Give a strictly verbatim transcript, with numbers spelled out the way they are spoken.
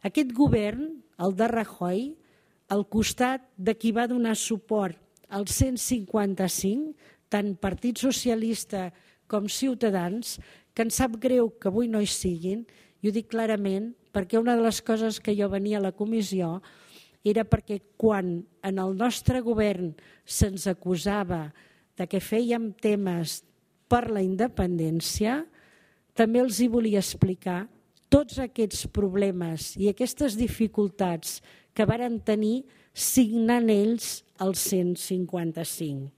Aquest govern, el de Rajoy, al costat de qui va donar suport al cent cinquanta cinc, tant Partit Socialista com Ciutadans, que em sap greu que avui no hi siguin, i ho dic clarament, perquè una de les coses que jo venia a la comissió era perquè quan en el nostre govern se'ns acusava de que fèiem temes per la independència, també els hi volia explicar tots aquests problemes i aquestes dificultats que varen tenir signant ells el cent cinquanta cinc.